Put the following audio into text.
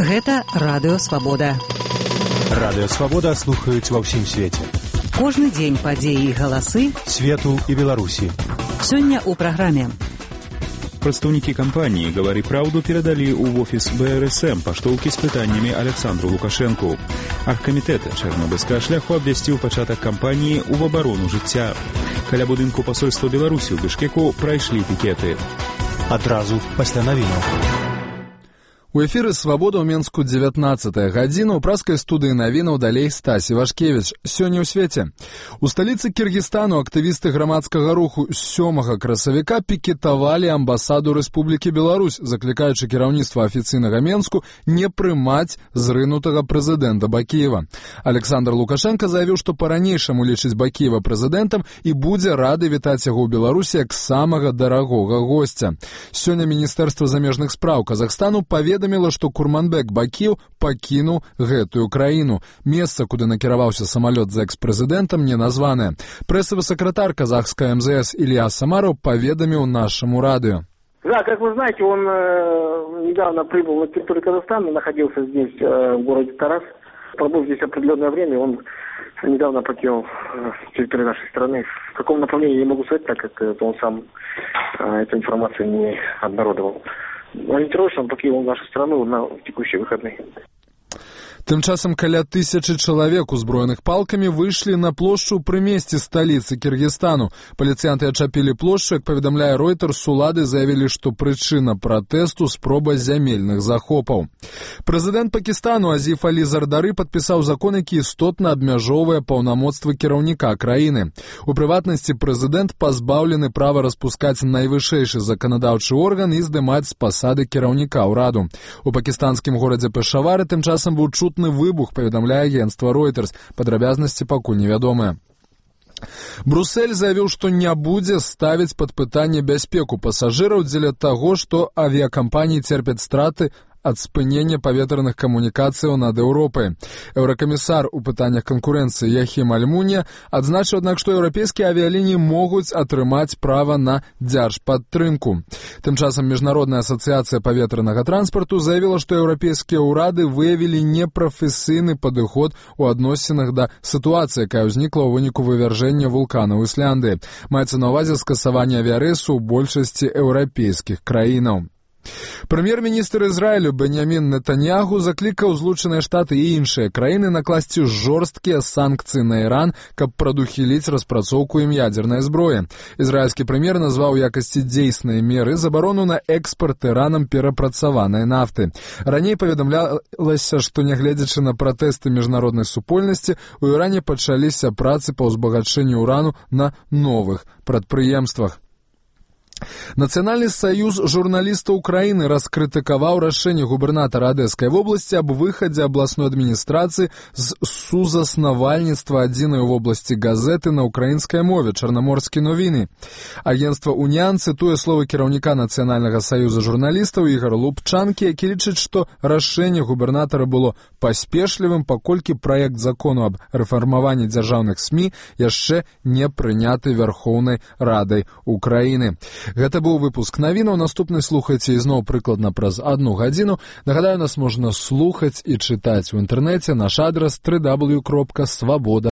Гэта Радыё Свабода. Радыё Свабода слухаюць ва ўсім свеце. Кожны дзень падзеі і галасы свету і Беларусі. Сёння ў праграме. Прадстаўнікі кампаніі «Гавары праўду» перадалі ў офіс БРСМ паштоўкі з пытаннямі Александру Лукашэнку. Аргкамітэт чарнобыльскага шляху абвясціў пачатак кампаніі ў абарону жыцця. Каля будынку пасольства Беларусі ў Бішкеку прайшлі пікеты. Адразу пасля навінаў. У эфіры «Свабода» ў Менску 19-я гадзіна. У праскай студыі навінаў далей Стасі Вашкевіч. Сёння ў свеце. У сталіцы Кіргізстану актывісты грамадскага руху 7 красавіка пікетавалі амбасаду Рэспублікі Беларусь, заклікаючы кіраўніцтва афіцыйнага Менску не прымаць зрынутага прэзідэнта Бакіева. Александр Лукашенко заявіў, што па-ранейшаму лічыць Бакіева прэзідэнтам і будзе рады вітаць яго ў Беларусі як самага дарагога госця. Сёння Міністэрства замежных спраў Казахстану паведаміла, што Курманбек Бакіев пакінуў гэтую краіну. Месца, куды накіраваўся самалёт за экс-прэзідэнтам, не названае. Прэсавы сакратар казахская МЗС Илья Самаров поведомил нашему радио. Да, как вы знаете, он недавно прибыл на территорию Казахстана, находился здесь, в городе Тарас. Пробыл здесь определенное время, он недавно покинул территорию нашей страны. В каком направлении я не могу сказать, так как он сам эту информацию не обнародовал. Ориентировочно он покинул нашу страну на текущие выходные. Тым часам каля 1000 чалавек, узброеных палкамі, выйшлі на плошчу пры месцы сталіцы Кіргізстану. Паліцыянты ачапілі плошчу, як паведамляе Reuters, улады заявілі, што прычына пратэсту спроба зямельных захопаў. Прэзідэнт Пакістану Азіф Алі Зардары падпісаў закон, які істотна абмяжоўвае паўнамоцтвы кіраўніка краіны. У прыватнасці прэзідэнт пазбаўлены права распускаць найвышэйшы заканадаўчы орган і здымаць з пасады кіраўніка ўраду. У пакістанскім горадзе Пешавары тым часам быў чутны выбух, паведамляе агенцтва Reuters. Падрабязнасці пакуль невядомыя. Брусэль заявіў, што не будзе ставіць пад пытанне бяспеку пасажыраў дзеля таго, што авіякампаніі церпяць страты ад спынення паветраных камунікацыяў над Еўропай. Еўракамісар у пытаннях канкурэнцыі Яхім Альмунія адзначыў, аднак, што еўрапейскія авіялініі могуць атрымаць права на дзяржпадтрымку. Тым часам Міжнародная асацыяцыя паветранага транспарту заявіла, што еўрапейскія ўрады выявілі непрафесійны падыход у адносінах да сітуацыі, якая ўзнікла ў выніку вывяржэння вулкана ў Ісляндыі. Маецца на ўвазе скасаванне авіярэйсу ў большасці еўрапейскіх краінаў. Прэм'ер-міністр Ізраілю Беньямін Нетаньягу заклікаў Злучаныя Штаты і іншыя краіны накласці жорсткія санкцыі на Іран, каб прадухіліць распрацоўку ім ядзернай зброі. Ізраільскі прэм'ер назваў у якасці дзейснай меры забарону на экспарт Іранам перапрацаванай нафты. Раней паведамлялася, што нягледзячы на пратэсты міжнароднай супольнасці, у Іране пачаліся працы па ўзбагачэнню урану на новых прадпрыемствах. Нацыянальны саюз журналістаў Украіны раскрытыкаваў рашэнне губернатара Адэскай вобласці аб выхадзе абласной адміністрацыі з сузаснавальніцтва адзінай вобласці газеты на украінскай мове «Чарнаморскія новіны». Агенцтва «Уніан» цытуе словы кіраўніка Нацыянальнага саюза журналістаў Ігора Лубчанкі, які лічыць, што рашэнне губернатара было паспешлівым, паколькі праект закону аб рэфармаванні дзяржаўных СМІ яшчэ не прыняты Верхоўнай Радай Украіны. Гэта быў выпуск навінаў. Наступны слухайце ізноў прыкладна праз 1 гадзіну. Нагадаю, нас можна слухаць і чытаць у інтэрнэце. Наш адрас www.svoboda.org.